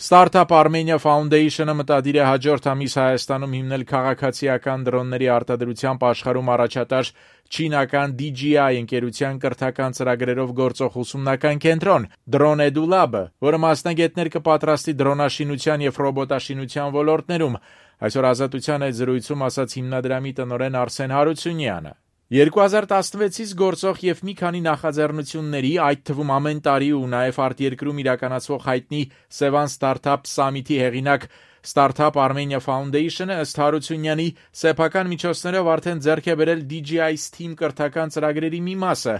Startup Armenia Foundation-ը մտադիր է հաջորդ ամիս Հայաստանում հիմնել քաղաքացիական դրոնների արտադրությամբ աշխարհում առաջատար չինական DJI ընկերության կրթական ծրագրերով գործող ուսումնական կենտրոն Drone Edu Lab-ը, որը մասնագետներ կպատրաստի դրոնաշինության եւ ռոբոտաշինության ոլորտներում, այսօր Ազատության այդ զրույցում ասաց հիմնադրամի տնօրեն Արսեն Հարությունյանը։ 2016-ից գործող եւ մի քանի նախաձեռնությունների, այդ թվում ամեն տարի ու նաեւ արտերկրում իրականացվող հայտնի Sevan Startup Summit-ի հեղինակ Startup Armenia Foundation-ը ըստ Հարությունյանի սեփական միջոցներով արդեն ձեռք է բերել DJI STEAM կրթական ծրագրերի մի մասը,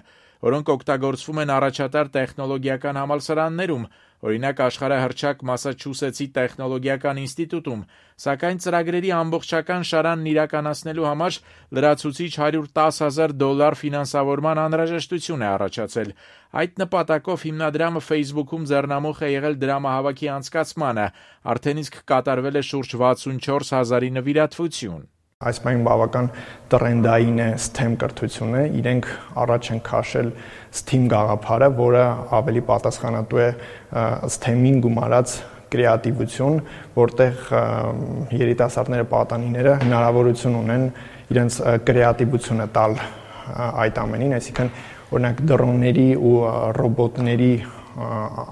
որոնք օգտագործվում են առաջատար տեխնոլոգիական համալսարաններում, օրինակ աշխարհահռչակ Մասաչուսեթսի տեխնոլոգիական ինստիտուտում, սակայն ծրագրերի ամբողջական շարանն իրականացնելու համար լրացուցիչ $110,000 ֆինանսավորման անհրաժեշտություն է առաջացել։ Այդ նպատակով հիմնադրամը Facebook-ում ձեռնամուխ է եղել դրամահավաքի անցկացմանը, արդեն իսկ կատարվել է շուրջ 64,000-ի նվիրատվություն։ Այս պայն բավական տրենդային է STEM կրթությունը, իրենք առաջ են քաշել STEAM գաղափարը, որը ավելի պատասխանատու է STEM-ին գումարած կրեատիվություն, որտեղ երիտասարդները, պատանիները հնարավորություն ունեն իրենց կրեատիվությունը տալ այդ ամենին, այսինքն օրինակ դրոնների ու ռոբոտների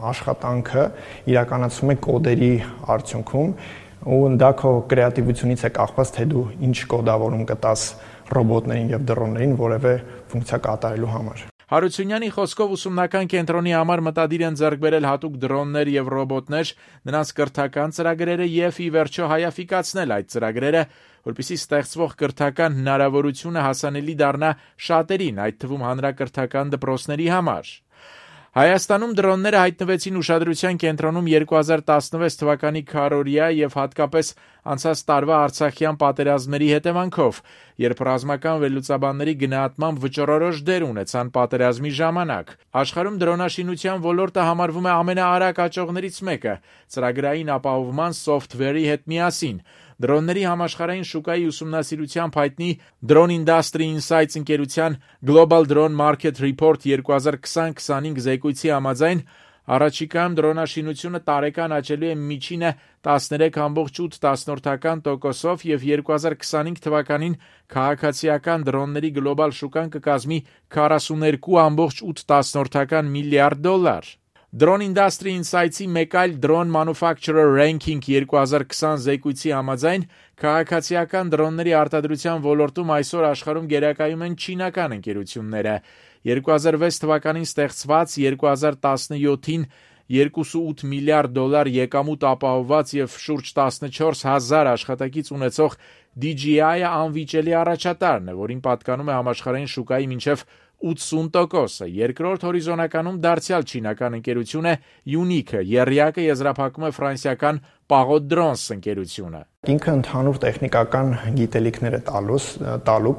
աշխատանքը իրականացվում է կոդերի արդյունքում, ու դա քո կրեատիվությունից է կախված, թե դու ինչ կոդավորում կտաս ռոբոտներին եւ դրոններին որևէ ֆունկցիա կատարելու համար։ Հարությունյանի խոսքով ուսումնական կենտրոնի համար մտադիր են ձեռք բերել հատուկ դրոններ եւ ռոբոտներ, նրանց կրթական ծրագրերը եւ ի վերջո հայաֆիկացնել այդ ծրագրերը, որպեսզի ստեղծվող կրթական հնարավորությունը հասանելի դառնա շատերին, այդ թվում հանրակրթական դպրոցների համար։ Հայաստանում դրոնները հայտնվեցին ուշադրության կենտրոնում 2016 թվականի քարոզիա եւ հատկապես անցած տարվա Արցախյան պատերազմների հետևանքով, երբ ռազմական վերլուծաբանների գնահատմամբ վճռորոշ դեր ունեցան պատերազմի ժամանակ։ Աշխարհում դրոնաշինության ոլորտը համարվում է ամենաարագ աճողներից մեկը, ծրագրային ապահովման սոֆթվերի հետ միասին։ Դրոնների համաշխարհային շուկայի ուսումնասիրությամբ հայտնի Drone Industry Insights ընկերության Global Drone Market Report 2020-25 զեկույցի համաձայն առաջիկայում դրոնաշինությունը տարեկան աճելու է միջինը 13.8% եւ 2025 թվականին քաղաքացիական դրոնների գլոբալ շուկան կկազմի $42.8 միլիարդ։ Drone Industry Insights-ի մեկ այլ Drone Manufacturer Ranking 2020 զեկույցի համաձայն քաղաքացիական դրոնների արտադրության ոլորտում այսօր աշխարհում գերակայում են չինական ընկերությունները։ 2006 թվականին ստեղծված 2017-ին $2.8 միլիարդ եկամուտ ապահովված եւ շուրջ 14,000 աշխատակից ունեցող DJI-ը անվիճելի առաջատարն է, որին պատկանում է համաշխարհային շուկայի մինչև 80%-ը։ Երկրորդ հորիզոնականում դարձյալ չինական ընկերություն է Unique-ը, եռյակը եզրափակում է ֆրանսիական Pagod Drones ընկերությունը։ Ինքը ընդհանուր տեխնիկական գիտելիքներ է տալու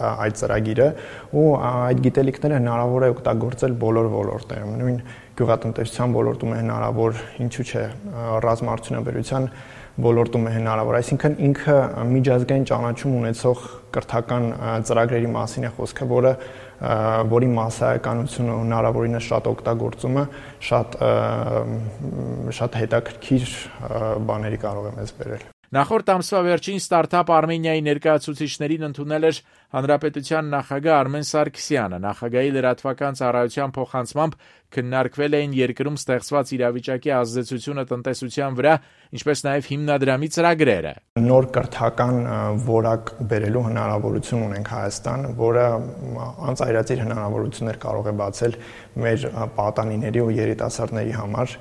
այդ ծրագիրը, ու այդ գիտելիքները հնարավոր է օգտագործել բոլոր ոլորտներում, նույն գյուղատնտեսության ոլորտում է հնարավոր, ինչու՞ չէ, ռազմաարդյունաբերության ոլորտում է հնարավոր, այսինքն ինքը միջազգային ճանաչում ունեցող կրթական ծրագրերի մասին է խոսքը, որի մասսայականությունը հնարավորինս շատ օգտագործումը շատ հետաքրքիր բաների կարող է մեզ բերել։ Նախորդ ամսվա վերջին Startup Armenia-ի ներկայացուցիչներին ընդունել էր Հանրապետության նախագահ Արմեն Սարգսյանը։ Նախագահի լրատվական ծառայության փոխանցմամբ քննարկվել էին երկրում ստեղծված իրավիճակի ազդեցությունը տնտեսության վրա, ինչպես նաև հիմնադրամի ծրագրերը։ Նոր կրթական որակ բերելու հնարավորություն ունենք Հայաստան, որը անծայրածիր հնարավորություններ կարող է բացել մեր պատանիների ու երիտասարդների համար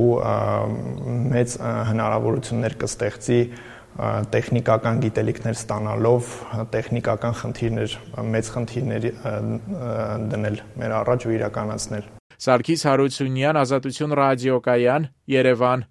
ու մեծ հնարավորություններ կստեղծի տեխնիկական գիտելիքներ ստանալով, տեխնիկական մեծ խնդիրներ դնել մեր առաջ ու իրականացնել։ Սարգիս Հարությունյան, Ազատություն ռադիոկայան, Երևան։